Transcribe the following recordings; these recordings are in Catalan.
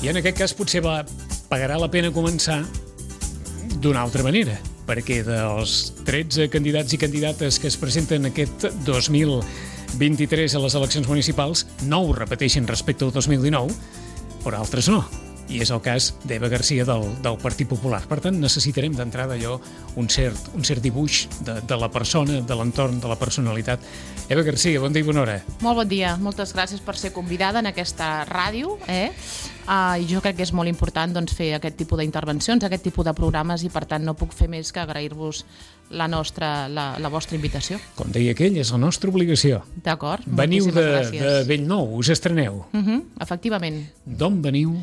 I en aquest cas potser pagarà la pena començar d'una altra manera, perquè dels 13 candidats i candidates que es presenten aquest 2023 a les eleccions municipals, 9 repeteixen respecte al 2019, però altres no. I és el cas d'Eva Garcia del Partit Popular. Per tant, necessitarem d'entrada allò un cert dibuix de la persona, de l'entorn, de la personalitat. Eva Garcia, bon dia i bona hora. Molt bon dia. Moltes gràcies per ser convidada en aquesta ràdio. I jo crec que és molt important fer aquest tipus d'intervencions, aquest tipus de programes, i per tant no puc fer més que agrair-vos la vostra invitació. Com deia aquell, és la nostra obligació. D'acord. Veniu de Bellnou, us estreneu. Efectivament. D'on veniu?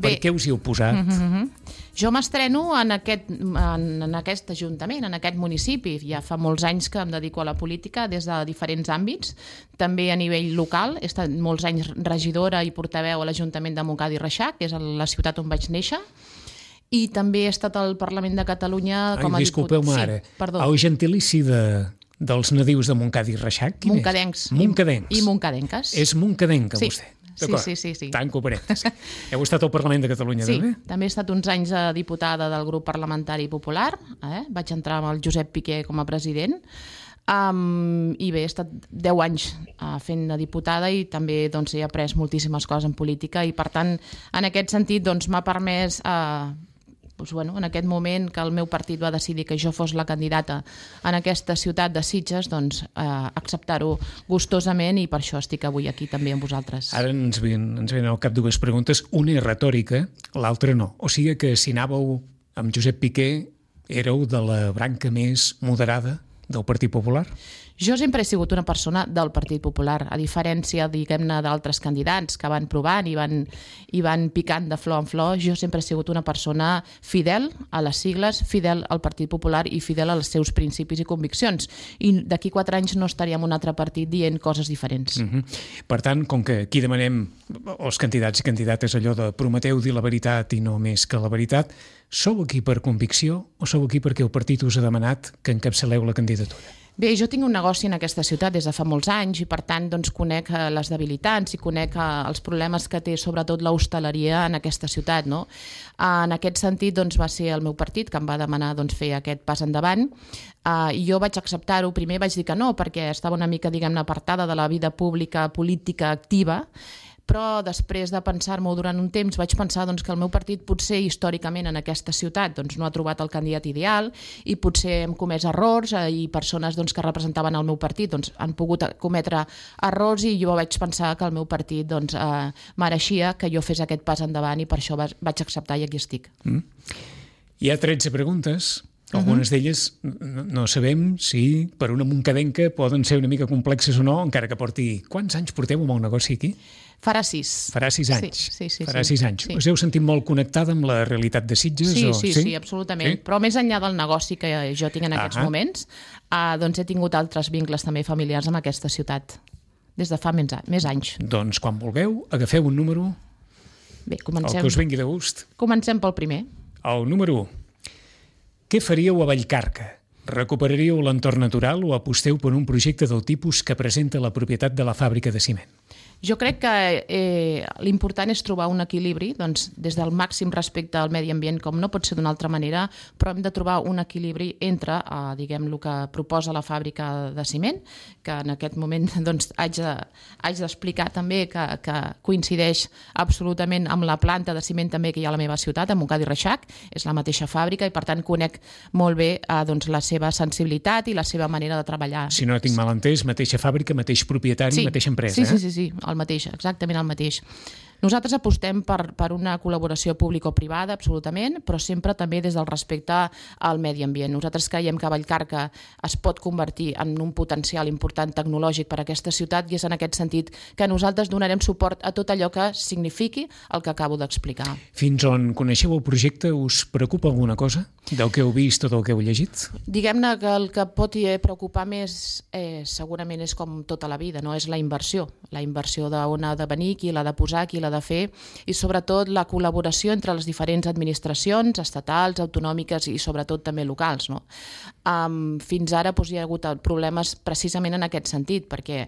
Per què us hi heu posat? Jo m'estreno en aquest ajuntament, en aquest municipi. Ja fa molts anys que em dedico a la política des de diferents àmbits, també a nivell local. He estat molts anys regidora i portaveu a l'Ajuntament de Montcada i Reixac, que és la ciutat on vaig néixer, i també he estat al Parlament de Catalunya com a diputat. Disculpeu-me ara, el gentilici dels nadius de Montcada i Reixac, quin Moncadencs. És? Moncadencs. I moncadenques. És moncadenca, vostè? Sí. Tanco parèntesis. Heu estat al Parlament de Catalunya, també? Sí, també he estat uns anys diputada del grup parlamentari popular. Vaig entrar amb el Josep Piqué com a president. I bé, he estat 10 anys fent de diputada i també he après moltíssimes coses en política i, per tant, en aquest sentit m'ha permès en aquest moment que el meu partit va decidir que jo fos la candidata en aquesta ciutat de Sitges, acceptar-ho gustosament, i per això estic avui aquí també amb vosaltres. Ara ens venen al cap dues preguntes, una és retòrica, l'altra no. O sigui que si anàveu amb Josep Piqué éreu de la branca més moderada del Partit Popular? Jo sempre he sigut una persona del Partit Popular, a diferència, diguem-ne, d'altres candidats que van provant i van picant de flor en flor. Jo sempre he sigut una persona fidel a les sigles, fidel al Partit Popular i fidel als seus principis i conviccions. I d'aquí 4 anys no estaria en un altre partit dient coses diferents. Per tant, com que aquí demanem els candidats i candidates allò de prometeu dir la veritat i no més que la veritat, sou aquí per convicció o sou aquí perquè el partit us ha demanat que encapçaleu la candidatura? Bé, jo tinc un negoci en aquesta ciutat des de fa molts anys i, per tant, conec les debilitats i conec els problemes que té sobretot l'hostaleria en aquesta ciutat, no? En aquest sentit, va ser el meu partit que em va demanar fer aquest pas endavant, i jo vaig acceptar-ho. Primer vaig dir que no, perquè estava una mica, diguem-ne, apartada de la vida pública, política activa, però després de pensar-m'ho durant un temps vaig pensar que el meu partit potser històricament en aquesta ciutat no ha trobat el candidat ideal i potser hem comès errors i persones que representaven el meu partit han pogut cometre errors, i jo vaig pensar que el meu partit mereixia que jo fes aquest pas endavant, i per això vaig acceptar i aquí estic. Hi ha 13 preguntes. Algunes d'elles no sabem si per una moncadenca poden ser una mica complexes o no, encara que porti... Quants anys porteu amb el negoci aquí? Farà 6. Farà 6 anys. Sí. Farà 6 anys. Us heu sentit molt connectada amb la realitat de Sitges? Sí, absolutament. Sí? Però més enllà del negoci que jo tinc en aquests moments, he tingut altres vincles també familiars amb aquesta ciutat des de fa més anys. Doncs quan vulgueu, agafeu un número. Bé, comencem. El que us vingui de gust. Comencem pel primer. El número 1. Què faríeu a Vallcarca? Recuperaríeu l'entorn natural o aposteu per un projecte del tipus que presenta la propietat de la fàbrica de ciment? Jo crec que l'important és trobar un equilibri, des del màxim respecte al medi ambient, com no pot ser d'una altra manera, però hem de trobar un equilibri entre, el que proposa la fàbrica de ciment, que en aquest moment haig d'explicar també que coincideix absolutament amb la planta de ciment també que hi ha a la meva ciutat, a Montcada i Reixac, és la mateixa fàbrica, i per tant conec molt bé la seva sensibilitat i la seva manera de treballar. Si no tinc mal entès, mateixa fàbrica, mateix propietari, mateixa empresa. Sí, el mateix, exactament el mateix. Nosaltres apostem per una col·laboració público-privada, absolutament, però sempre també des del respecte al medi ambient. Nosaltres creiem que Vallcarca es pot convertir en un potencial important tecnològic per a aquesta ciutat, i és en aquest sentit que nosaltres donarem suport a tot allò que signifiqui el que acabo d'explicar. Fins on coneixeu el projecte, us preocupa alguna cosa? Del que heu vist o del que heu llegit? Diguem-ne que el que pot preocupar més segurament és com tota la vida, no? És la inversió d'on ha de venir, qui l'ha de posar, qui l'ha de fer, i sobretot la col·laboració entre les diferents administracions estatals, autonòmiques i sobretot també locals, no? Fins ara hi ha hagut problemes precisament en aquest sentit, perquè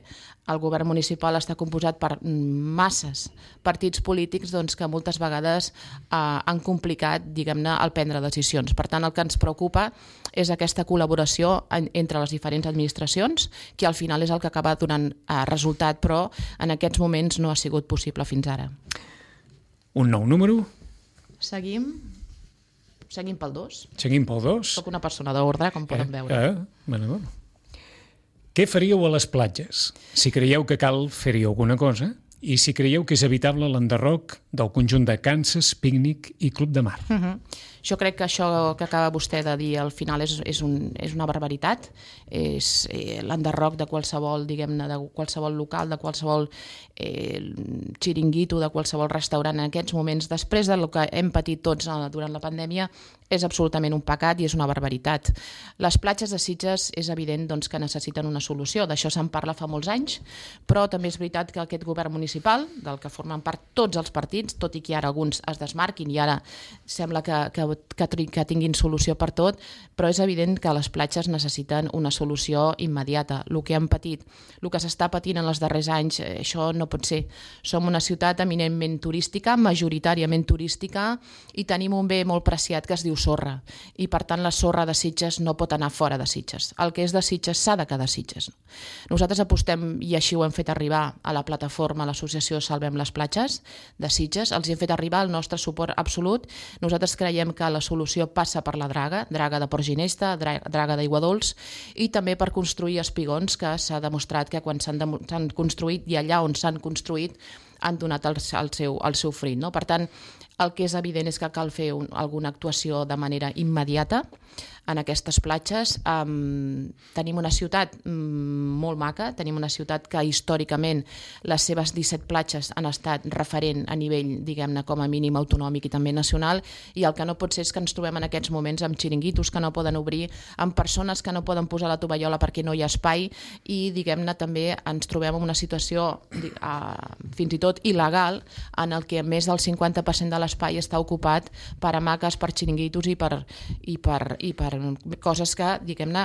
el govern municipal està composat per masses partits polítics que moltes vegades han complicat, diguem-ne, el prendre decisions. Per tant, el que ens preocupa és aquesta col·laboració entre les diferents administracions, que al final és el que acaba donant resultat, però en aquests moments no ha sigut possible fins ara. Un nou número? Seguim pel 2. Seguim pel 2. Soc una persona d'ordre, com poden veure. Bueno. Què faríeu a les platges? Si creieu que cal fer-hi alguna cosa i si creieu que és evitable l'enderroc del conjunt de Kansas, Pícnic i Club de Mar. Jo crec que això que acaba vostè de dir al final és una barbaritat. És l'enderroc de qualsevol, diguem-ne, de qualsevol local, de qualsevol xiringuito, de qualsevol restaurant en aquests moments, després del que hem patit tots durant la pandèmia, és absolutament un pecat i és una barbaritat. Les platges de Sitges és evident que necessiten una solució, d'això se'n parla fa molts anys, però també és veritat que aquest govern municipal, del que formen part tots els partits, tot i que ara alguns es desmarquin i ara sembla que tinguin solució per tot, però és evident que les platges necessiten una solució immediata. El que hem patit, el que s'està patint en els darrers anys, això no pot ser. Som una ciutat eminentment turística, majoritàriament turística, i tenim un bé molt preciat que es diu sorra, i per tant la sorra de Sitges no pot anar fora de Sitges. El que és de Sitges s'ha de quedar a Sitges. Nosaltres apostem, i així ho hem fet arribar a la plataforma, a l'associació Salvem les Platges de Sitges, els hem fet arribar el nostre suport absolut. Nosaltres creiem que la solució passa per la draga de Port Ginesta, draga d'Aigua Dols, i també per construir espigons, que s'ha demostrat que quan s'han construït i allà on s'han construït han donat el seu fruit, no? Per tant, el que és evident és que cal fer alguna actuació de manera immediata en aquestes platges. Tenim una ciutat molt maca, tenim una ciutat que històricament les seves 17 platges han estat referent a nivell, diguem-ne, com a mínim autonòmic i també nacional, i el que no pot ser és que ens trobem en aquests moments amb xiringuitos que no poden obrir, amb persones que no poden posar la tovallola perquè no hi ha espai, i, diguem-ne, també ens trobem en una situació fins i tot il·legal en el que més del 50% de l'espai està ocupat per hamaques, per xiringuitos i per coses que, diguem-ne,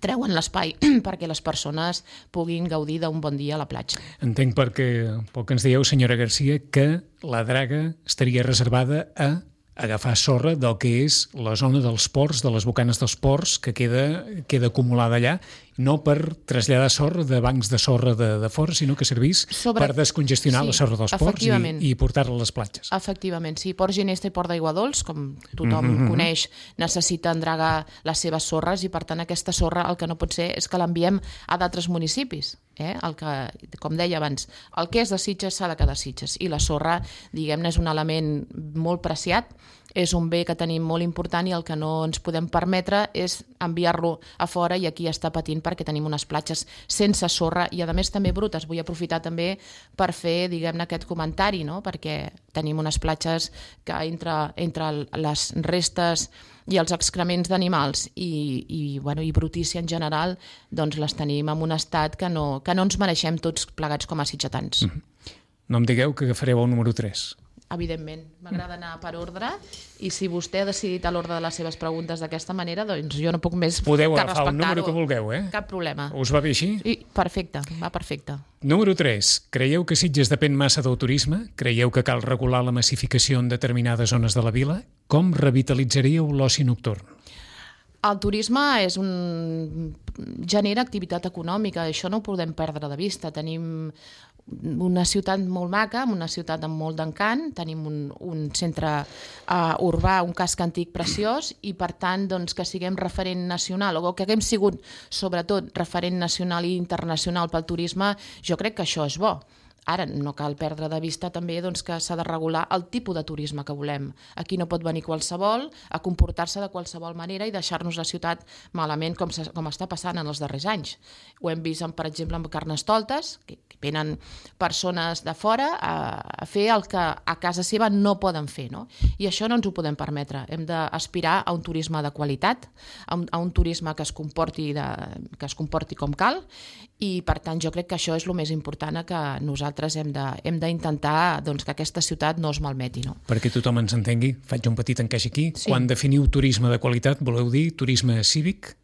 treuen l'espai perquè les persones puguin gaudir d'un bon dia a la platja. Entenc pel que ens dieu, senyora Garcia, que la draga estaria reservada a agafar sorra del que és la zona dels ports, de les bocanes dels ports, que queda acumulada allà, no per traslladar sorra de bancs de sorra de fora, sinó que servís per descongestionar la sorra dels ports i portar-la a les platges. Efectivament, sí. Port Ginesta i Port d'Aigua Dols, com tothom coneix, necessiten dragar les seves sorres, i per tant aquesta sorra el que no pot ser és que l'enviem a d'altres municipis. El que, com deia abans, el que és de Sitges s'ha de quedar a Sitges, i la sorra, diguem-ne, és un element molt preciat, és un bé que tenim molt important, i el que no ens podem permetre és enviar-lo a fora i aquí està patint perquè tenim unes platges sense sorra i a més també brutes. Vull aprofitar també per fer, diguem-ne, aquest comentari, no? Perquè tenim unes platges que entre les restes i els excrements d'animals i brutícia en general, doncs les tenim en un estat que no ens mereixem tots plegats com a sitgetans. No em digueu que agafareu el número 3. Evidentment, m'agrada anar per ordre, i si vostè ha decidit a l'ordre de les seves preguntes d'aquesta manera, doncs jo no puc més que respectar-ho. Podeu agafar el número que vulgueu, Cap problema. Us va bé així? Perfecte, va perfecte. Número 3. Creieu que Sitges depèn massa del turisme? Creieu que cal regular la massificació en determinades zones de la vila? Com revitalitzaríeu l'oci nocturn? El turisme genera activitat econòmica, això no ho podem perdre de vista. Tenim una ciutat molt maca, una ciutat amb molt d'encant, tenim un centre urbà, un casc antic preciós, i per tant que siguem referent nacional, o que haguem sigut sobretot referent nacional i internacional pel turisme, jo crec que això és bo. Ara, no cal perdre de vista també que s'ha de regular el tipus de turisme que volem. Aquí no pot venir qualsevol a comportar-se de qualsevol manera i deixar-nos la ciutat malament com està passant en els darrers anys. Ho hem vist, per exemple, amb Carnestoltes, que venen persones de fora a fer el que a casa seva no poden fer, no? I això no ens ho podem permetre. Hem d'aspirar a un turisme de qualitat, a un turisme que es comporti com cal, i per tant jo crec que això és el més important, que nosaltres hem d'intentar que aquesta ciutat no es malmeti. No? Perquè tothom ens entengui, faig un petit encaix aquí. Sí. Quan definiu turisme de qualitat, voleu dir turisme cívic?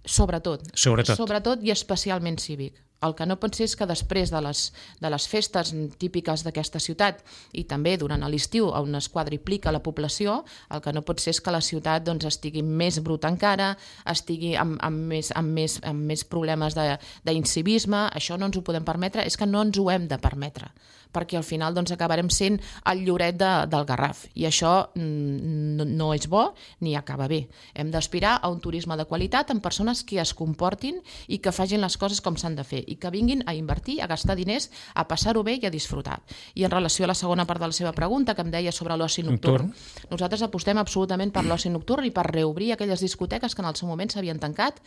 Sobretot i especialment cívic. El que no pot ser és que després de les festes típiques d'aquesta ciutat i també durant l'estiu on es quadriplica la població, el que no pot ser és que la ciutat estigui més bruta encara, estigui amb més problemes d'incivisme. Això no ens ho podem permetre, és que no ens ho hem de permetre, perquè al final acabarem sent el lloret del Garraf, i això no és bo ni acaba bé. Hem d'aspirar a un turisme de qualitat amb persones que es comportin i que facin les coses com s'han de fer, i que vinguin a invertir, a gastar diners, a passar-ho bé i a disfrutar. I en relació a la segona part de la seva pregunta, que em deia sobre l'oci nocturn, nosaltres apostem absolutament per l'oci nocturn i per reobrir aquelles discoteques que en el seu moment s'havien tancat,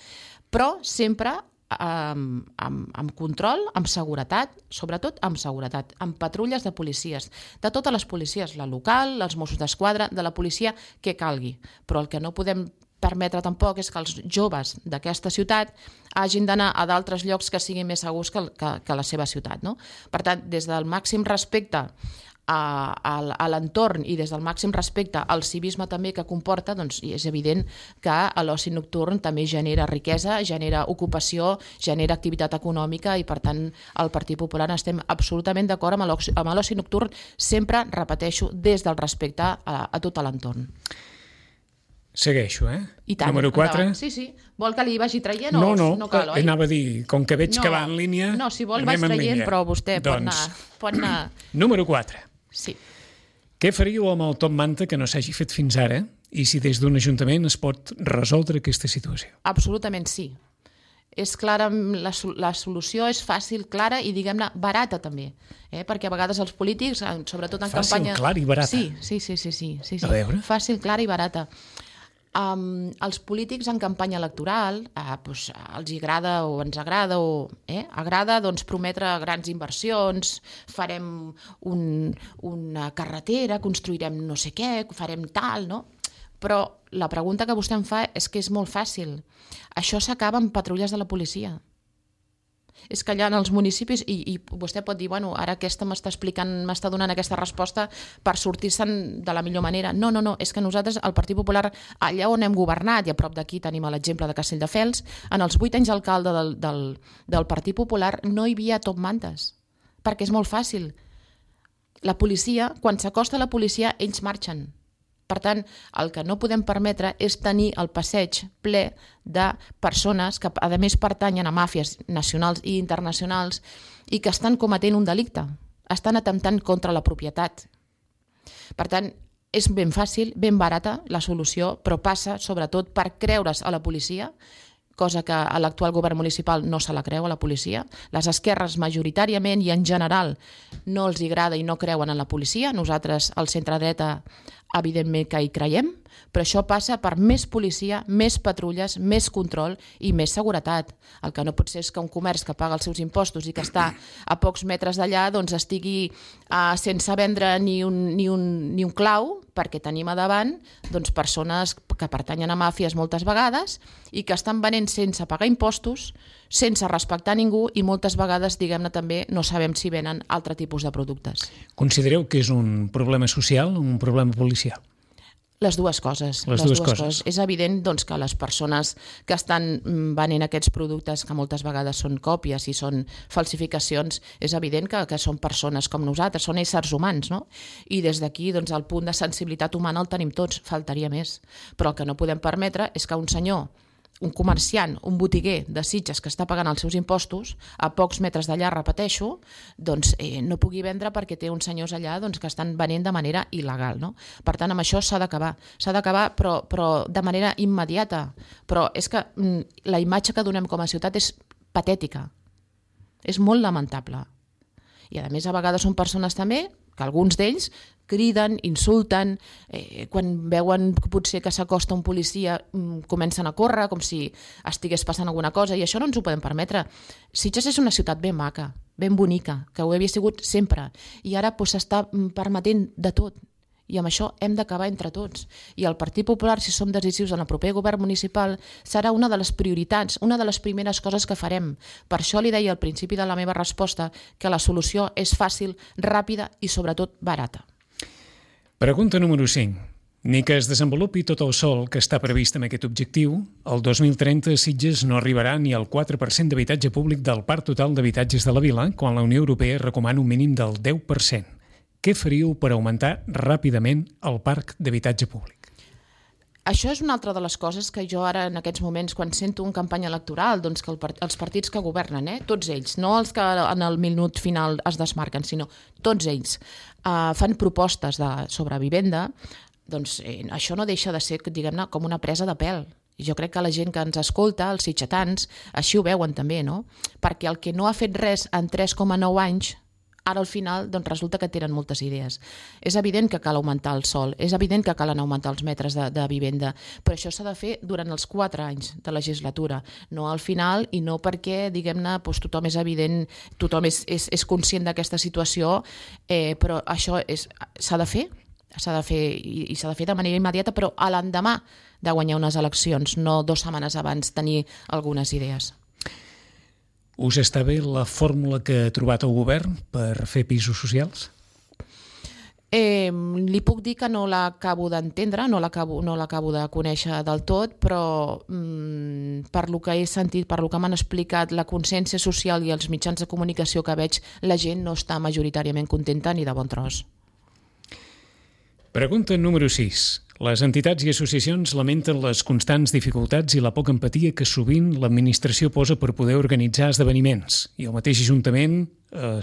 però sempre amb control, amb seguretat, sobretot amb seguretat, amb patrulles de policies, de totes les policies, la local, els Mossos d'Esquadra, de la policia que calgui. Però el que no podem permetre tampoc és que els joves d'aquesta ciutat hagin d'anar a d'altres llocs que siguin més segurs que la seva ciutat. No? Per tant, des del màxim respecte a l'entorn i des del màxim respecte al civisme també que comporta, és evident que l'oci nocturn també genera riquesa, genera ocupació, genera activitat econòmica, i per tant el Partit Popular estem absolutament d'acord amb l'oci nocturn, sempre, repeteixo, des del respecte a tot l'entorn. Segueixo, I tant, número 4. Sí. Vol que li vagi traient o no cal, oi? Anava a dir, com que veig que va en línia, no, si vol vaig traient, però vostè pot anar... Número 4. Sí. Què faríeu amb el top manta que no s'hagi fet fins ara, i si des d'un ajuntament es pot resoldre aquesta situació? Absolutament sí. És clara, la solució és fàcil, clara i, diguem-ne, barata també. Perquè a vegades els polítics, sobretot en campanya... Fàcil, clara i barata? Sí. A veure? Fàcil, clara i barata. Els polítics en campanya electoral els agrada o ens agrada agrada prometre grans inversions, farem una carretera, construirem no sé què, farem tal, no? Però la pregunta que vostè em fa és que és molt fàcil. Això s'acaba amb patrulles de la policia. És que allà en els municipis, i vostè pot dir, bueno, ara aquesta m'està donant aquesta resposta per sortir-se'n de la millor manera. No, és que nosaltres, el Partit Popular, allà on hem governat, i a prop d'aquí tenim l'exemple de Castelldefels, en els 8 anys d'alcalde del Partit Popular no hi havia top mantes, perquè és molt fàcil. La policia, quan s'acosta a la policia, ells marxen. Per tant, el que no podem permetre és tenir el passeig ple de persones que, a més, pertanyen a màfies nacionals i internacionals i que estan cometent un delicte, estan atemptant contra la propietat. Per tant, és ben fàcil, ben barata la solució, però passa sobretot per creure's a la policia, cosa que a l'actual govern municipal no se la creu, a la policia. Les esquerres majoritàriament i en general no els agrada i no creuen en la policia. Nosaltres, al centre-dreta, evidentment que hi creiem, però això passa per més policia, més patrulles, més control i més seguretat. El que no pot ser és que un comerç que paga els seus impostos i que està a pocs metres d'allà estigui sense vendre ni un clau, perquè tenim a davant persones que pertanyen a màfies moltes vegades i que estan venent sense pagar impostos, sense respectar ningú, i moltes vegades, diguem-ne, també no sabem si venen altre tipus de productes. Considereu que és un problema social o un problema policial? Les dues coses. Les dues coses. És evident que les persones que estan venent aquests productes, que moltes vegades són còpies i són falsificacions, és evident que són persones com nosaltres, són éssers humans, no? I des d'aquí el punt de sensibilitat humana el tenim tots, faltaria més. Però el que no podem permetre és que un senyor, un comerciant, un botiguer de Sitges que està pagant els seus impostos, a pocs metres d'allà, repeteixo, no pugui vendre perquè té uns senyors allà que estan venent de manera il·legal. No? Per tant, amb això s'ha d'acabar, però de manera immediata. Però és que la imatge que donem com a ciutat és patètica, és molt lamentable. I a més a vegades són persones també que alguns d'ells criden, insulten, quan veuen potser que s'acosta un policia comencen a córrer com si estigués passant alguna cosa, i això no ens ho podem permetre. Sitges és una ciutat ben maca, ben bonica, que ho havia sigut sempre, i ara s'està permetent de tot. I amb això hem d'acabar entre tots. I el Partit Popular, si som decisius en el proper govern municipal, serà una de les prioritats, una de les primeres coses que farem. Per això li deia al principi de la meva resposta que la solució és fàcil, ràpida i sobretot barata. Pregunta número 5. Ni que es desenvolupi tot el sòl que està previst amb aquest objectiu, el 2030 Sitges no arribarà ni al 4% d'habitatge públic del parc total d'habitatges de la vila, quan la Unió Europea recomana un mínim del 10%. Què faríeu per augmentar ràpidament el parc d'habitatge públic? Això és una altra de les coses que jo ara en aquests moments, quan sento una campanya electoral, doncs que els partits que governen, tots ells, no els que en el minut final es desmarquen, sinó tots ells, fan propostes sobre vivenda, doncs això no deixa de ser, diguem-ne, com una presa de pèl. Jo crec que la gent que ens escolta, els sitgetans, així ho veuen també, no? Perquè el que no ha fet res en 3,9 anys, ara al final doncs resulta que tenen moltes idees. És evident que cal augmentar el sòl, és evident que calen augmentar els metres de vivenda, però això s'ha de fer durant els 4 anys de legislatura, no al final, i no perquè, diguem-ne, tothom és evident, tothom és conscient d'aquesta situació, però això s'ha de fer, i s'ha de fer de manera immediata, però a l'endemà de guanyar unes eleccions, no 2 setmanes abans tenir algunes idees. Us està bé la fórmula que ha trobat el govern per fer pisos socials? Li puc dir que no l'acabo d'entendre, no l'acabo de conèixer del tot, però per lo que he sentit, per lo que m'han explicat, la consciència social i els mitjans de comunicació que veig, la gent no està majoritàriament contenta ni de bon tros. Pregunta número 6. Les entitats i associacions lamenten les constants dificultats i la poca empatia que sovint l'administració posa per poder organitzar esdeveniments. I el mateix Ajuntament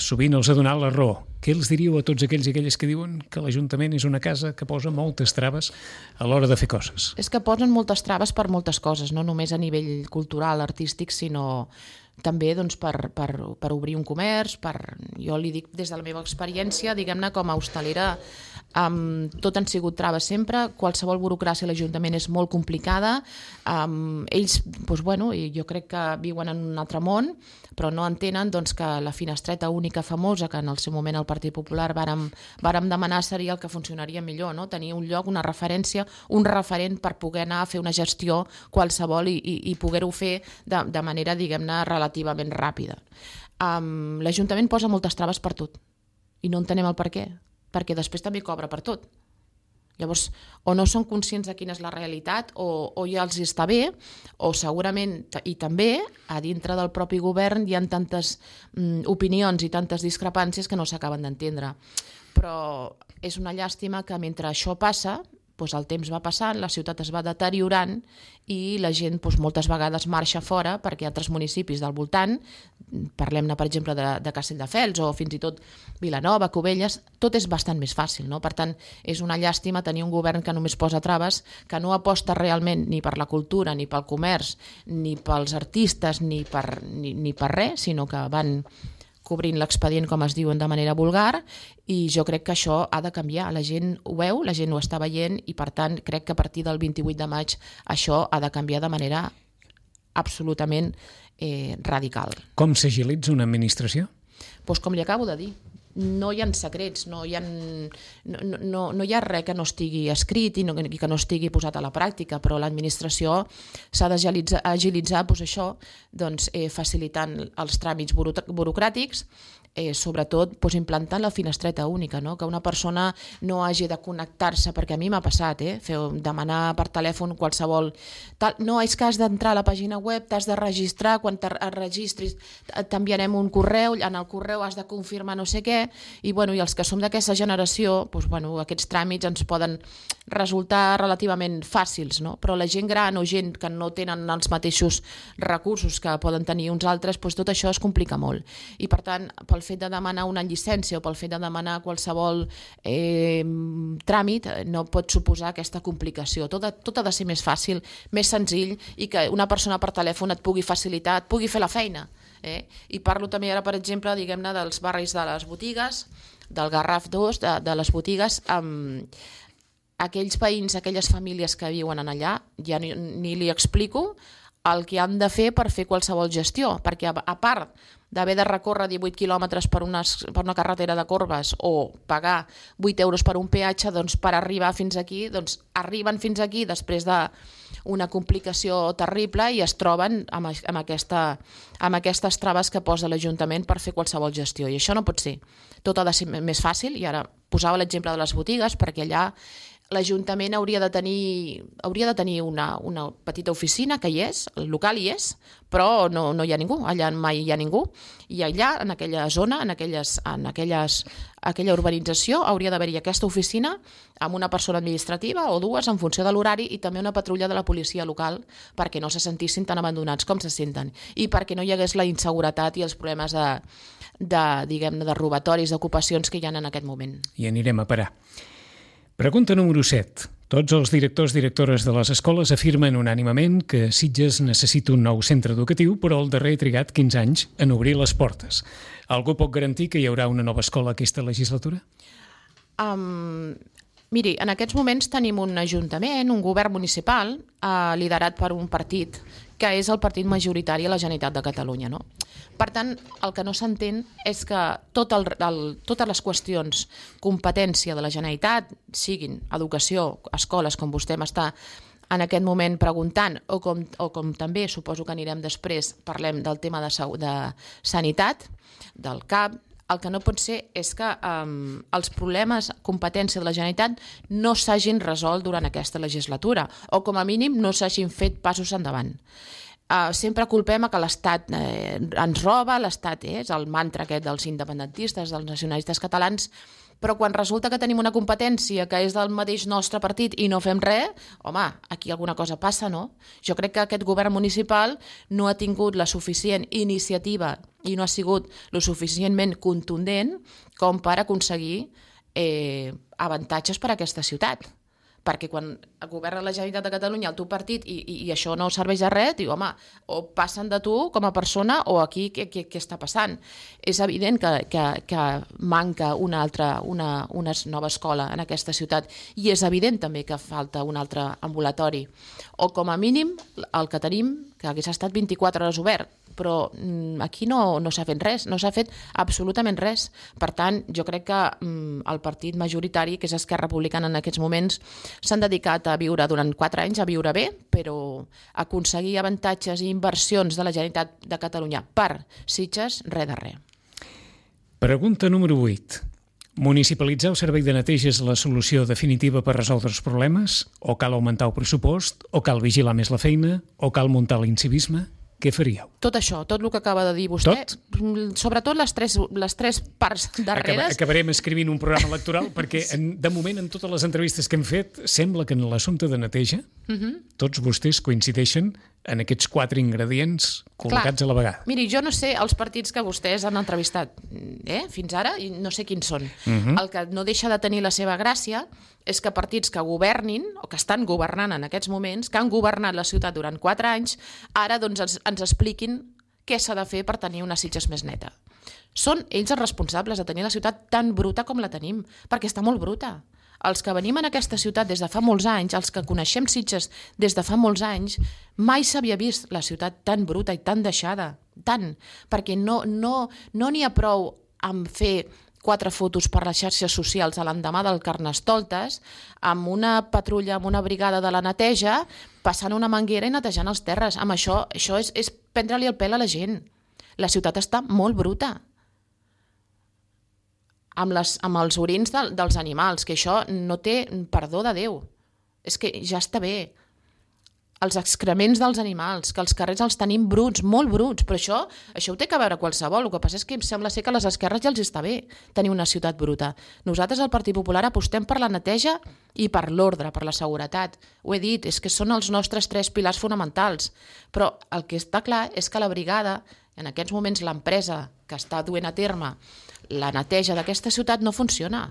sovint els ha donat la raó. Què els diríeu a tots aquells i aquelles que diuen que l'Ajuntament és una casa que posa moltes traves a l'hora de fer coses? És que posen moltes traves per moltes coses, no només a nivell cultural, artístic, sinó també doncs, per obrir un comerç, jo li dic des de la meva experiència, diguem-ne, com a hostalera, tot han sigut traves sempre, qualsevol burocràcia a l'Ajuntament és molt complicada, ells, doncs, jo crec que viuen en un altre món, però no entenen doncs, que la finestreta única famosa, que en el seu moment el Partit Popular vàrem demanar, seria el que funcionaria millor, no? Tenir un lloc, una referència, un referent per poder anar a fer una gestió qualsevol i poder-ho fer de manera, diguem-ne, relativament ràpida. L'Ajuntament posa moltes traves per tot i no entenem el per què, perquè després també cobra per tot. Llavors, o no són conscients de quina és la realitat, o ja els està bé, o segurament, i també, a dintre del propi govern hi ha tantes opinions i tantes discrepàncies que no s'acaben d'entendre. Però és una llàstima que mentre això passa, doncs el temps va passant, la ciutat es va deteriorant i la gent moltes vegades marxa fora perquè altres municipis del voltant, parlem-ne per exemple de Castelldefels o fins i tot Vilanova, Cubelles, tot és bastant més fàcil, no? Per tant, és una llàstima tenir un govern que només posa traves, que no aposta realment ni per la cultura, ni pel comerç, ni pels artistes, ni per res, sinó que van cobrint l'expedient, com es diuen, de manera vulgar, i jo crec que això ha de canviar. La gent ho veu, la gent ho està veient, i per tant crec que a partir del 28 de maig això ha de canviar de manera absolutament radical. Com s'agilitza una administració? Doncs com li acabo de dir, no hi ha secrets, no hi ha res que no estigui escrit i que no estigui posat a la pràctica, però l'administració s'ha d'agilitzar facilitant els tràmits burocràtics, sobretot implantant la finestreta única, no? Que una persona no hagi de connectar-se, perquè a mi m'ha passat, demanar per telèfon qualsevol... No, és que has d'entrar a la pàgina web, t'has de registrar, quan et registris t'enviarem un correu, en el correu has de confirmar no sé què, i els que som d'aquesta generació, aquests tràmits ens poden resultar relativament fàcils, no? Però la gent gran o gent que no tenen els mateixos recursos que poden tenir uns altres, tot això es complica molt. I per tant, pel pel fet de demanar una llicència o pel fet de demanar qualsevol tràmit no pot suposar aquesta complicació. Tot ha de ser més fàcil, més senzill, i que una persona per telèfon et pugui facilitar, et pugui fer la feina. I parlo també ara, per exemple, diguem-ne, dels barris de les botigues, del Garraf 2, de les botigues, aquells veïns, aquelles famílies que viuen allà, ja ni li explico el que han de fer per fer qualsevol gestió, perquè a part d'haver de recórrer 18 quilòmetres per una carretera de corbes o pagar 8 euros per un peatge, doncs per arribar fins aquí, doncs arriben fins aquí després d'una complicació terrible i es troben amb aquestes traves que posa l'Ajuntament per fer qualsevol gestió. I això no pot ser. Tot ha de ser més fàcil, i ara posava l'exemple de les botigues, perquè allà l'Ajuntament hauria de tenir una petita oficina, que hi és, el local hi és, però no hi ha ningú, allà mai hi ha ningú, i allà, en aquella zona, en aquella urbanització, hauria d'haver-hi aquesta oficina amb una persona administrativa o dues en funció de l'horari, i també una patrulla de la policia local perquè no se sentissin tan abandonats com se senten, i perquè no hi hagués la inseguretat i els problemes de robatoris, d'ocupacions que hi ha en aquest moment. I anirem a parar. Pregunta número 7. Tots els directors/directores de les escoles afirmen unànimement que Sitges necessita un nou centre educatiu, però el darrer ha trigat 15 anys en obrir les portes. Algú pot garantir que hi haurà una nova escola aquesta legislatura? Miri, en aquests moments tenim un ajuntament, un govern municipal, liderat per un partit que és el partit majoritari a la Generalitat de Catalunya, no? Per tant, el que no s'entén és que totes les qüestions competència de la Generalitat, siguin educació, escoles, com vostè m'està en aquest moment preguntant, o com també suposo que anirem després, parlem del tema de sanitat, del CAP. El que no pot ser és que els problemes, competència de la Generalitat, no s'hagin resolt durant aquesta legislatura, o com a mínim no s'hagin fet passos endavant. Sempre culpem que l'Estat ens roba, l'Estat és el mantra aquest dels independentistes, dels nacionalistes catalans, però quan resulta que tenim una competència que és del mateix nostre partit i no fem res, home, aquí alguna cosa passa, no? Jo crec que aquest govern municipal no ha tingut la suficient iniciativa i no ha sigut lo suficientment contundent com per aconseguir avantatges per a aquesta ciutat. Perquè quan governa la Generalitat de Catalunya el teu partit i això no serveix de res, diu, home, o passen de tu com a persona o aquí què està passant? És evident que manca una nova escola en aquesta ciutat, i és evident també que falta un altre ambulatori, o com a mínim el que tenim, que hagués estat 24 hores obert, però aquí no s'ha fet res, no s'ha fet absolutament res. Per tant, jo crec que el partit majoritari, que és Esquerra Republicana en aquests moments, s'han dedicat a viure durant 4 anys, a viure bé, però aconseguir avantatges i inversions de la Generalitat de Catalunya per Sitges, res de res. Pregunta número 8. Municipalitzar el servei de neteja és la solució definitiva per resoldre els problemes? O cal augmentar el pressupost? O cal vigilar més la feina? O cal muntar l'incivisme? Què faríeu? Tot això, tot el que acaba de dir vostè, sobretot les tres parts darreres. Acabarem escrivint un programa electoral perquè de moment en totes les entrevistes que hem fet sembla que en l'assumpte de neteja tots vostès coincideixen en aquests 4 ingredients col·locats a la vegada. Miri, jo no sé els partits que vostès han entrevistat fins ara, i no sé quins són. El que no deixa de tenir la seva gràcia és que partits que governin, o que estan governant en aquests moments, que han governat la ciutat durant 4 anys, ara doncs ens expliquin què s'ha de fer per tenir una Sitges més neta. Són ells els responsables de tenir la ciutat tan bruta com la tenim, perquè està molt bruta. Els que venim en aquesta ciutat des de fa molts anys, els que coneixem Sitges des de fa molts anys, mai s'havia vist la ciutat tan bruta i tan deixada, tant, perquè no n'hi ha prou amb fer 4 fotos per les xarxes socials a l'endemà del Carnestoltes, amb una patrulla, amb una brigada de la neteja, passant una manguera i netejant els terres. Amb això és prendre-li el pèl a la gent. La ciutat està molt bruta. Amb els orins dels animals, que això no té perdó de Déu. És que ja està bé. Els excrements dels animals, que els carrers els tenim bruts, molt bruts, però això ho té que veure qualsevol. El que passa és que em sembla ser que a les esquerres ja els està bé tenir una ciutat bruta. Nosaltres, al Partit Popular, apostem per la neteja i per l'ordre, per la seguretat. Ho he dit, és que són els nostres 3 pilars fonamentals. Però el que està clar és que la brigada, En aquests moments l'empresa que està duent a terme la neteja d'aquesta ciutat no funciona.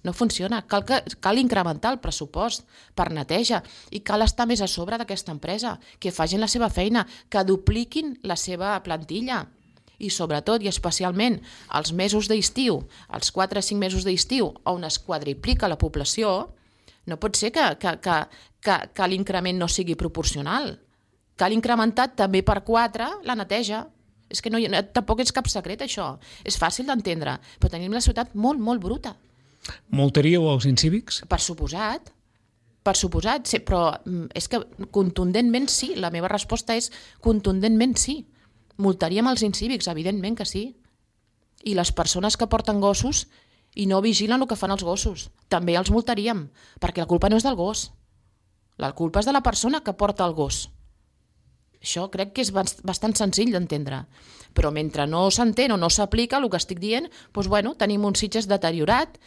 No funciona. Cal incrementar el pressupost per neteja i cal estar més a sobre d'aquesta empresa, que facin la seva feina, que dupliquin la seva plantilla. I sobretot i especialment els mesos d'estiu, els 4 o 5 mesos d'estiu, on es quadriplica la població, no pot ser que l'increment no sigui proporcional. Cal incrementar també per 4 la neteja. És que tampoc és cap secret, això. És fàcil d'entendre, però tenim la ciutat molt, molt bruta. Multaríeu els incívics? Per suposat, sí, però és que contundentment sí. La meva resposta és contundentment sí. Multaríem els incívics, evidentment que sí. I les persones que porten gossos i no vigilen el que fan els gossos, també els multaríem, perquè la culpa no és del gos. La culpa és de la persona que porta el gos. Això crec que és bastant senzill d'entendre. Però mentre no s'entén o no s'aplica el que estic dient, doncs, tenim un Sitges deteriorat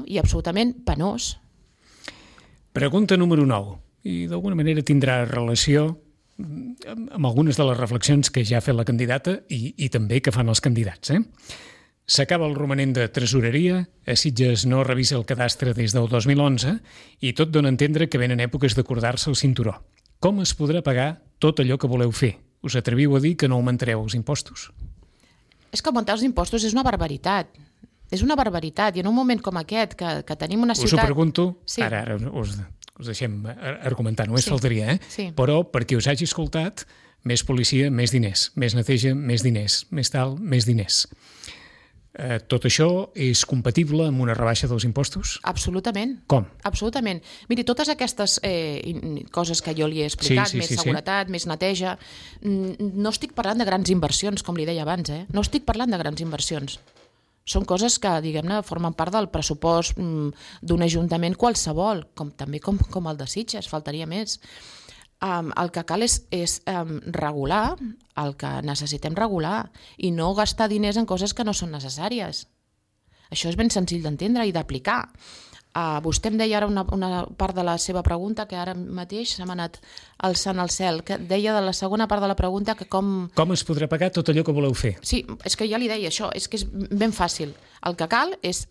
i absolutament penós. Pregunta número 9. I d'alguna manera tindrà relació amb algunes de les reflexions que ja ha fet la candidata i també que fan els candidats. S'acaba el romanent de tresoreria, a Sitges no revisa el cadastre des del 2011 i tot dona a entendre que venen èpoques d'acordar-se el cinturó. Com es podrà pagar tot allò que voleu fer? Us atreviu a dir que no augmentareu els impostos? És que augmentar els impostos és una barbaritat. És una barbaritat. I en un moment com aquest, que tenim una ciutat... Us ho pregunto, sí. Ara us deixem argumentar, només faltaria, Sí. Però perquè us hagi escoltat, més policia, més diners, més neteja, més diners, més tal, més diners. Tot això és compatible amb una rebaixa dels impostos? Absolutament. Com? Absolutament. Miri, totes aquestes coses que jo li he explicat, més seguretat, més neteja, no estic parlant de grans inversions, com li deia abans, No estic parlant de grans inversions. Són coses que, diguem-ne, formen part del pressupost d'un ajuntament qualsevol, també com el de Sitges, faltaria més. El que cal és regular el que necessitem regular i no gastar diners en coses que no són necessàries. Això és ben senzill d'entendre i d'aplicar. Vostè em deia ara una part de la seva pregunta que ara mateix se m'ha anat alçant al cel, que deia de la segona part de la pregunta que com... Com es podrà pagar tot allò que voleu fer? Sí, és que ja li deia això, és que és ben fàcil. El que cal és...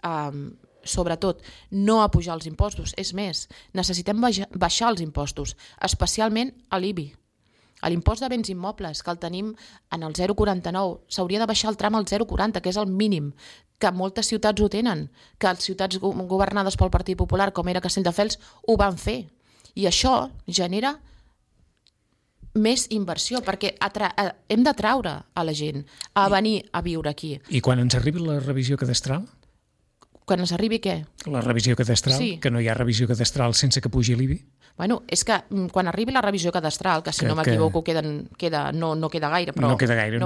sobretot, no apujar els impostos. És més, necessitem baixar els impostos, especialment a l'IBI. A l'impost de béns immobles, que el tenim en el 0,49. S'hauria de baixar el tram al 0,40, que és el mínim, que moltes ciutats ho tenen, que les ciutats governades pel Partit Popular, com era Castelldefels, ho van fer. I això genera més inversió, perquè hem d'atraure a la gent a venir a viure aquí. I quan ens arribi la revisió cadastral? Quan ens arribi què? La revisió cadastral, sí. Que no hi ha revisió cadastral sense que pugi l'IBI? Bueno, és que quan arribi la revisió cadastral, que si no m'equivoco no queda gaire, però no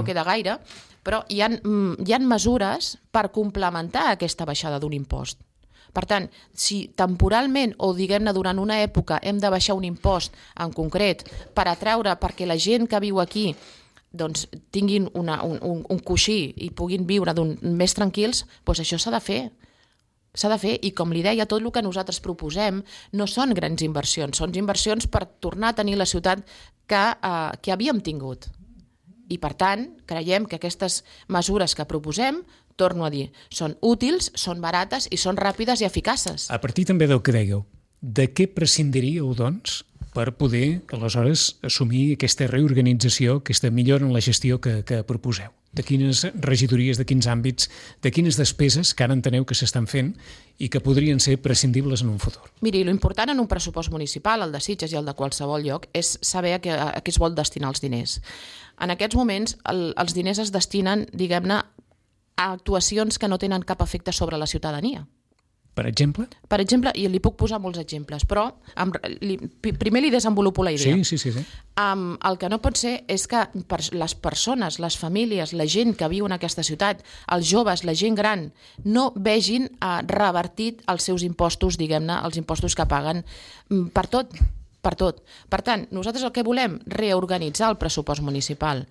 queda gaire, però hi ha mesures per complementar aquesta baixada d'un impost. Per tant, si temporalment o diguem-ne durant una època hem de baixar un impost en concret per atraure perquè la gent que viu aquí doncs tinguin un coixí i puguin viure més tranquils, doncs això s'ha de fer. S'ha de fer, i com li deia, tot el que nosaltres proposem no són grans inversions, són inversions per tornar a tenir la ciutat que havíem tingut. I per tant, creiem que aquestes mesures que proposem, torno a dir, són útils, són barates i són ràpides i eficaces. A partir també del que dèieu, de què prescindiríeu, doncs, per poder, aleshores, assumir aquesta reorganització, aquesta millora en la gestió que proposeu? De quines regidories, de quins àmbits, de quines despeses que ara enteneu que s'estan fent i que podrien ser prescindibles en un futur? Miri, l'important en un pressupost municipal, el de Sitges i el de qualsevol lloc, és saber a què es vol destinar els diners. En aquests moments, els diners es destinen, diguem-ne, a actuacions que no tenen cap efecte sobre la ciutadania. Per exemple? Per exemple, i li puc posar molts exemples, però primer li desenvolupo la idea. Sí. El que no pot ser és que les persones, les famílies, la gent que viu en aquesta ciutat, els joves, la gent gran, no vegin revertit els seus impostos, diguem-ne, els impostos que paguen per tot. Per tant, nosaltres el que volem, reorganitzar el pressupost municipal.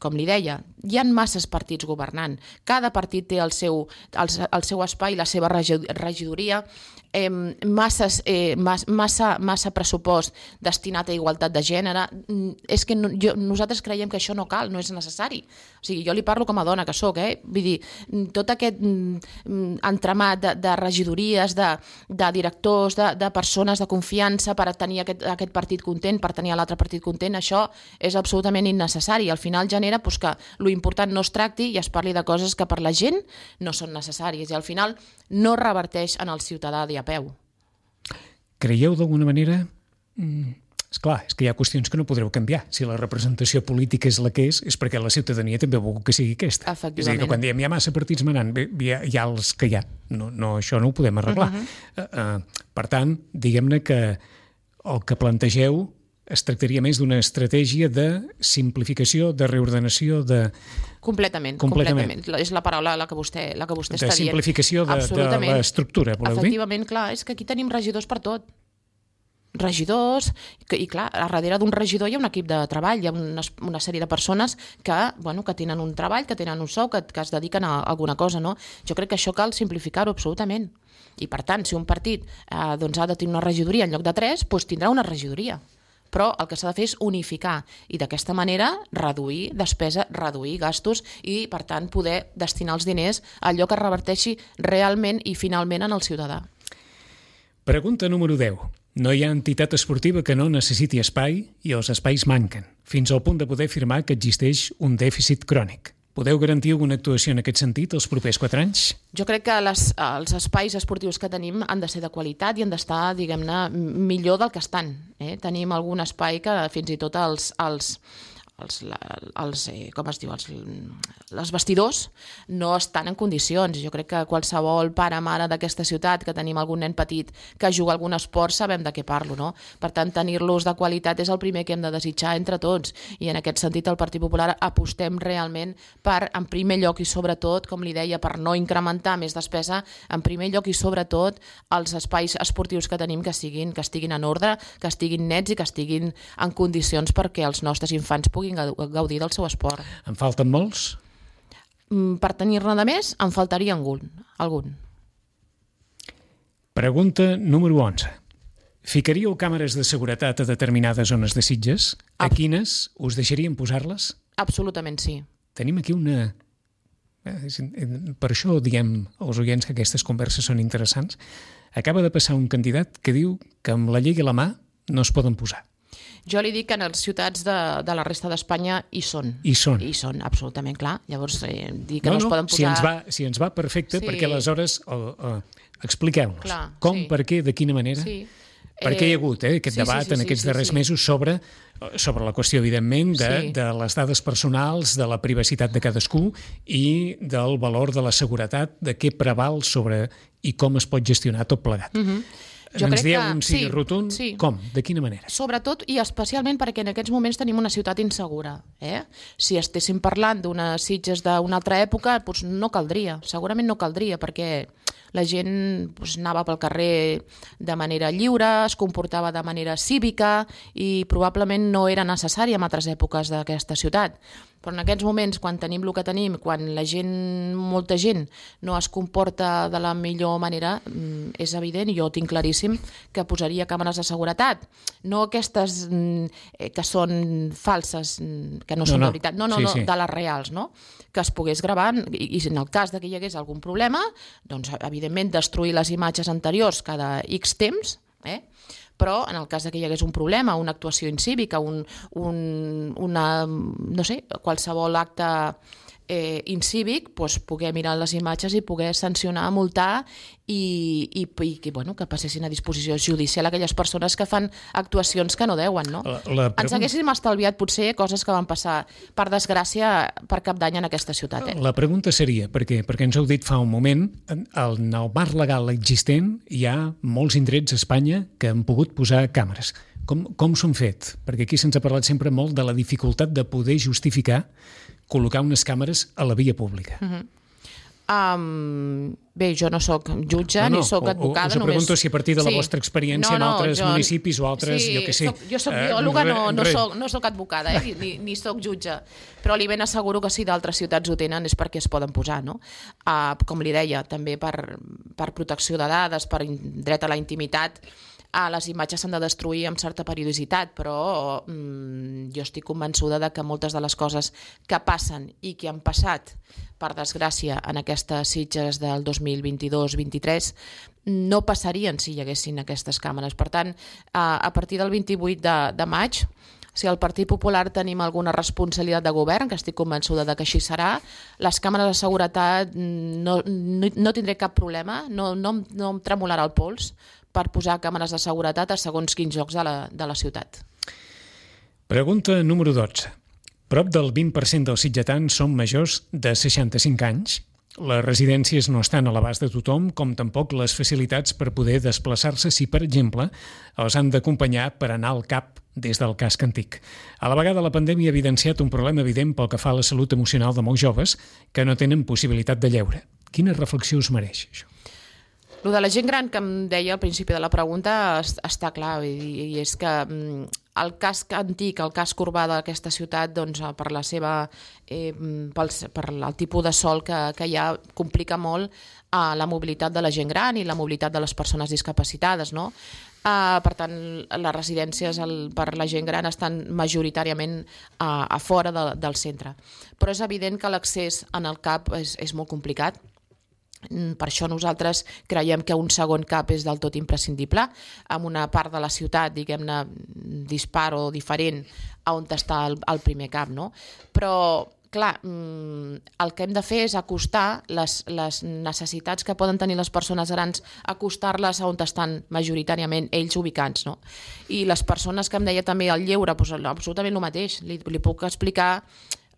com li deia, hi ha masses partits governant. Cada partit té el seu espai, la seva regidoria, massa pressupost destinat a igualtat de gènere. És que nosaltres creiem que això no cal, no és necessari. O sigui, jo li parlo com a dona que soc, vull dir, tot aquest entramat de regidories, de directors, de persones de confiança per tenir aquest partit content, per tenir l'altre partit content, això és absolutament innecessari. Al final genera que l'important no es tracti i es parli de coses que per la gent no són necessàries i al final no reverteix en el ciutadà de a peu. Creieu d'alguna manera... Esclar, és que hi ha qüestions que no podreu canviar. Si la representació política és la que és perquè la ciutadania també vol que sigui aquesta. Efectivament. És a dir, que quan diem hi ha massa partits manant, hi ha els que hi ha. No, això no ho podem arreglar. Per tant, diguem-ne que el que plantegeu es tractaria més d'una estratègia de simplificació, de reordenació, de... Completament. És la paraula la que vostè està dient. De simplificació de l'estructura, voleu dir? Efectivament, clar, és que aquí tenim regidors per tot. Regidors, i clar, a darrere d'un regidor hi ha un equip de treball, hi ha una sèrie de persones que tenen un treball, que tenen un sou, que es dediquen a alguna cosa, no? Jo crec que això cal simplificar-ho absolutament. I per tant, si un partit ha de tenir una regidoria en lloc de 3, doncs tindrà una regidoria. Però el que s'ha de fer és unificar i d'aquesta manera reduir despesa, reduir gastos i, per tant, poder destinar els diners a allò que reverteixi realment i finalment en el ciutadà. Pregunta número 10. No hi ha entitat esportiva que no necessiti espai i els espais manquen, fins al punt de poder afirmar que existeix un dèficit crònic. Podeu garantir alguna actuació en aquest sentit els propers 4 anys? Jo crec que els espais esportius que tenim han de ser de qualitat i han d'estar, diguem-ne, millor del que estan. Tenim algun espai que fins i tot els vestidors no estan en condicions. Jo crec que qualsevol pare o mare d'aquesta ciutat que tenim algun nen petit que juga a algun esport sabem de què parlo, no? Per tant, tenir-los de qualitat és el primer que hem de desitjar entre tots i en aquest sentit el Partit Popular apostem realment per, en primer lloc i sobretot, com li deia, per no incrementar més despesa, en primer lloc i sobretot els espais esportius que tenim que estiguin en ordre, que estiguin nets i que estiguin en condicions perquè els nostres infants puguin gaudir del seu esport. En falten molts? Per tenir-ne de més, en faltaria algun. Pregunta número 11. Ficaríeu càmeres de seguretat a determinades zones de Sitges? A quines us deixarien posar-les? Absolutament sí. Tenim aquí una... Per això diem als oients que aquestes converses són interessants. Acaba de passar un candidat que diu que amb la llei a la mà no es poden posar. Jo li dic que en les ciutats de la resta d'Espanya hi són. Hi són. Hi són, absolutament, clar. Llavors, dir que no es poden posar... Si ens va perfecte, sí. Perquè aleshores expliqueu-nos com, sí. Per què, de quina manera... Sí. Perquè hi ha hagut aquest debat en aquests darrers mesos sobre la qüestió, evidentment, de les dades personals, de la privacitat de cadascú i del valor de la seguretat, de què preval sobre i com es pot gestionar tot plegat. Ens dieu un sí rotund? Sí. Com? De quina manera? Sobretot i especialment perquè en aquests moments tenim una ciutat insegura. Si estéssim parlant d'unes Sitges d'una altra època, doncs no caldria, segurament no caldria, perquè la gent anava pel carrer de manera lliure, es comportava de manera cívica i probablement no era necessari en altres èpoques d'aquesta ciutat. Però en aquests moments, quan tenim el que tenim, quan molta gent no es comporta de la millor manera, és evident, i jo ho tinc claríssim, que posaria càmeres de seguretat. No aquestes que són falses, que no són de veritat, de les reals, no? Que es pogués gravar i en el cas que hi hagués algun problema, doncs evidentment destruir les imatges anteriors cada X temps, però en el cas que hi hagués un problema, una actuació incívica, qualsevol acte incívic, poder mirar les imatges i poder sancionar, multar i que passessin a disposició judicial aquelles persones que fan actuacions que no deuen, no? Ens haguéssim estalviat potser coses que van passar, per desgràcia, per cap d'any en aquesta ciutat. La pregunta seria, perquè ens heu dit fa un moment, en el marc legal existent hi ha molts indrets a Espanya que han pogut posar càmeres. Com s'ho han fet? Perquè aquí se'ns ha parlat sempre molt de la dificultat de poder justificar col·locar unes càmeres a la via pública. Bé, jo no sóc jutge ni sóc advocada. Us pregunto si a partir de la vostra experiència en altres municipis o altres, jo què sé... Jo soc biòloga, no soc advocada, ni soc jutge, però li ben asseguro que si d'altres ciutats ho tenen és perquè es poden posar, no? Com li deia, també per protecció de dades, per dret a la intimitat, les imatges s'han de destruir amb certa periodicitat, però jo estic convençuda de que moltes de les coses que passen i que han passat, per desgràcia, en aquestes Sitges del 2022-23, no passarien si hi haguessin aquestes càmeres. Per tant, a partir del 28 de maig, si al Partit Popular tenim alguna responsabilitat de govern, que estic convençuda de que així serà, les càmeres de seguretat no tindré cap problema, no em tremolarà el pols per posar càmeres de seguretat a segons quins llocs de la ciutat. Pregunta número 12. Prop del 20% dels sitgetans són majors de 65 anys. Les residències no estan a l'abast de tothom, com tampoc les facilitats per poder desplaçar-se si, per exemple, els han d'acompanyar per anar al CAP des del casc antic. A la vegada, la pandèmia ha evidenciat un problema evident pel que fa a la salut emocional de molts joves que no tenen possibilitat de lleure. Quina reflexió us mereix, això? Lo de la gent gran que em deia al principi de la pregunta està clar, i és que el casc antic, el casc urbà d'aquesta ciutat, doncs, per el tipus de sòl que hi ha, complica molt la mobilitat de la gent gran i la mobilitat de les persones discapacitades, no? Per tant, les residències per la gent gran estan majoritàriament a fora del centre. Però és evident que l'accés en el CAP és molt complicat. Per això nosaltres creiem que un segon CAP és del tot imprescindible, amb una part de la ciutat, diguem-ne, dispar o diferent a on està el primer CAP, no? Però, clar, el que hem de fer és acostar les necessitats que poden tenir les persones grans, acostar-les a on estan majoritàriament ells ubicats, no? I les persones que em deia també el lleure, doncs absolutament el mateix. Li puc explicar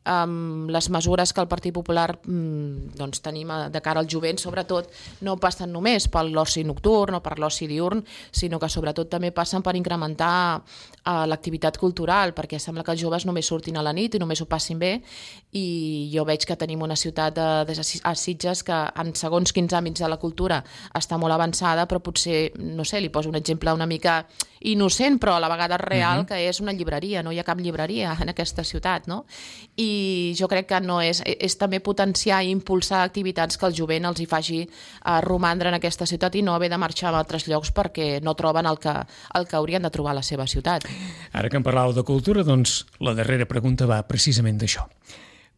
les mesures que el Partit Popular tenim de cara al jovent, sobretot, no passen només per l'oci nocturn o per l'oci diurn, sinó que sobretot també passen per incrementar l'activitat cultural, perquè sembla que els joves només surtin a la nit i només ho passin bé, i jo veig que tenim una ciutat a Sitges que en segons quins àmbits de la cultura està molt avançada, però potser, no sé, li poso un exemple una mica innocent, però a la vegada real, que és una llibreria. No hi ha cap llibreria en aquesta ciutat, no? I jo crec que no és també potenciar i impulsar activitats que el jovent els hi faci romandre en aquesta ciutat i no haver de marxar a altres llocs perquè no troben el que haurien de trobar a la seva ciutat. Ara que em parlàveu de cultura, doncs la darrera pregunta va precisament d'això.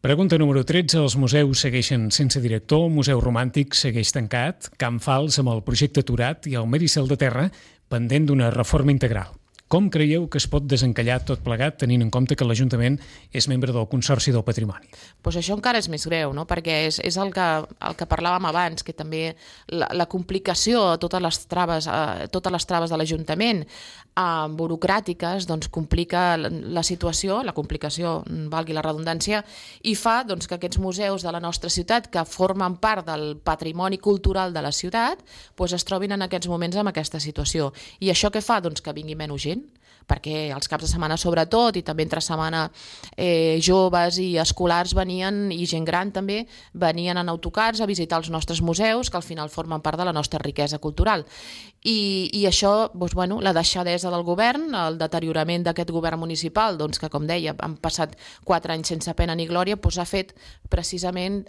Pregunta número 13. Els museus segueixen sense director, el Museu Romàntic segueix tancat, Can Fals amb el projecte aturat i el Mérissol de Terra pendent d'una reforma integral. Com creieu que es pot desencallar tot plegat tenint en compte que l'Ajuntament és membre del Consorci del Patrimoni? Pues això encara és més greu, no? Perquè és el que parlàvem abans, que també la complicació, totes les traves de l'Ajuntament burocràtiques, doncs complica la situació, la complicació, valgui la redundància, i fa doncs, que aquests museus de la nostra ciutat, que formen part del patrimoni cultural de la ciutat, doncs es trobin en aquests moments amb aquesta situació. I això què fa? Doncs que vingui menys gent, perquè els caps de setmana sobretot i també entre setmana joves i escolars venien, i gent gran també, venien en autocars a visitar els nostres museus, que al final formen part de la nostra riquesa cultural. I això, doncs, bueno, la deixadesa del govern, el deteriorament d'aquest govern municipal, doncs, que com deia, han passat 4 anys sense pena ni glòria, doncs ha fet precisament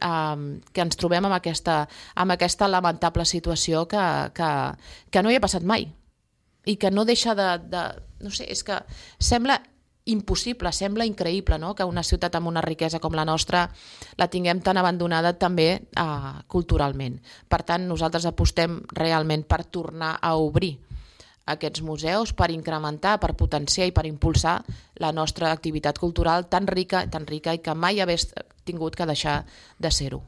que ens trobem amb aquesta lamentable situació que no hi ha passat mai. I que no deixa no sé, és que sembla impossible, sembla increïble, no?, que una ciutat amb una riquesa com la nostra la tinguem tan abandonada també culturalment. Per tant, nosaltres apostem realment per tornar a obrir aquests museus, per incrementar, per potenciar i per impulsar la nostra activitat cultural tan rica i que mai hagués tingut que deixar de ser-ho.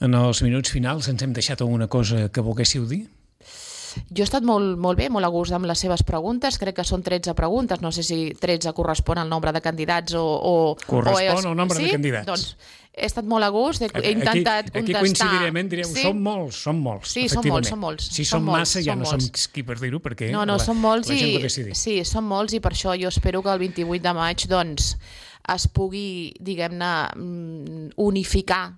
En els minuts finals ens hem deixat alguna cosa que volguéssiu dir? Jo he estat molt bé, molt a gust amb les seves preguntes, crec que són 13 preguntes, no sé si 13 correspon al nombre de candidats o... Correspon al nombre de candidats. Doncs he estat molt a gust, he intentat contestar... Aquí coincidirem, direu, sí? Som molts, sí, efectivament. Són molts. Si són massa ja no som qui per dir-ho, perquè no, són molts la gent ho decidir. Sí, són molts, i per això jo espero que el 28 de maig doncs, es pugui, diguem-ne, unificar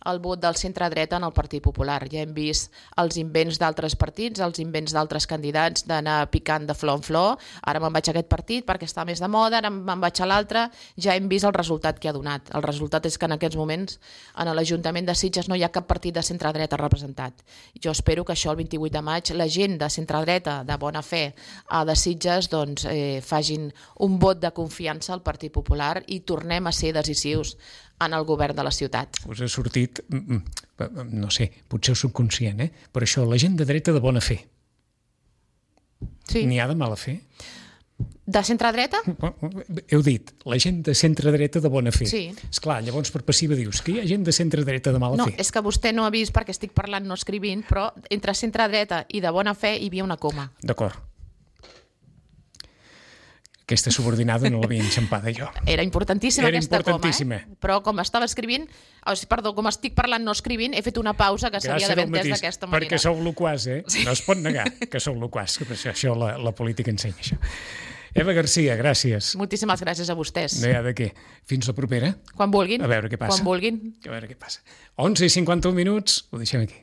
el vot del centre-dreta en el Partit Popular. Ja hem vist els invents d'altres partits, els invents d'altres candidats d'anar picant de flor en flor. Ara me'n vaig a aquest partit perquè està més de moda, ara me'n vaig a l'altre. Ja hem vist el resultat que ha donat. El resultat és que en aquests moments en l'Ajuntament de Sitges no hi ha cap partit de centre-dreta representat. Jo espero que això el 28 de maig la gent de centre-dreta, de bona fe, de Sitges, doncs, facin un vot de confiança al Partit Popular i tornem a ser decisius en el govern de la ciutat. Us ha sortit, no sé, potser subconscient, però això, la gent de dreta de bona fe. Sí. N'hi ha de mala fe? De centre-dreta? Heu dit, la gent de centre-dreta de bona fe. Sí. Esclar, llavors per passiva dius que hi ha gent de centre-dreta de mala fe. No, és que vostè no ha vist perquè estic parlant, no escrivint, però entre centre-dreta i de bona fe hi havia una coma. D'acord. Aquesta subordinada no l'havia enxampada jo. Era importantíssima aquesta importantíssima. coma, però com estava escrivint, com estic parlant no escrivint, he fet una pausa que s'havia d'haver entès d'aquesta manera. Perquè sou loquaç, No es pot negar que sou loquaç, que això la política ensenya això. Eva Garcia, gràcies. Moltíssimes gràcies a vostès. No hi ha de què. Fins la propera. Quan vulguin. A veure què passa. Quan vulguin. A veure què passa. 11:51, ho deixem aquí.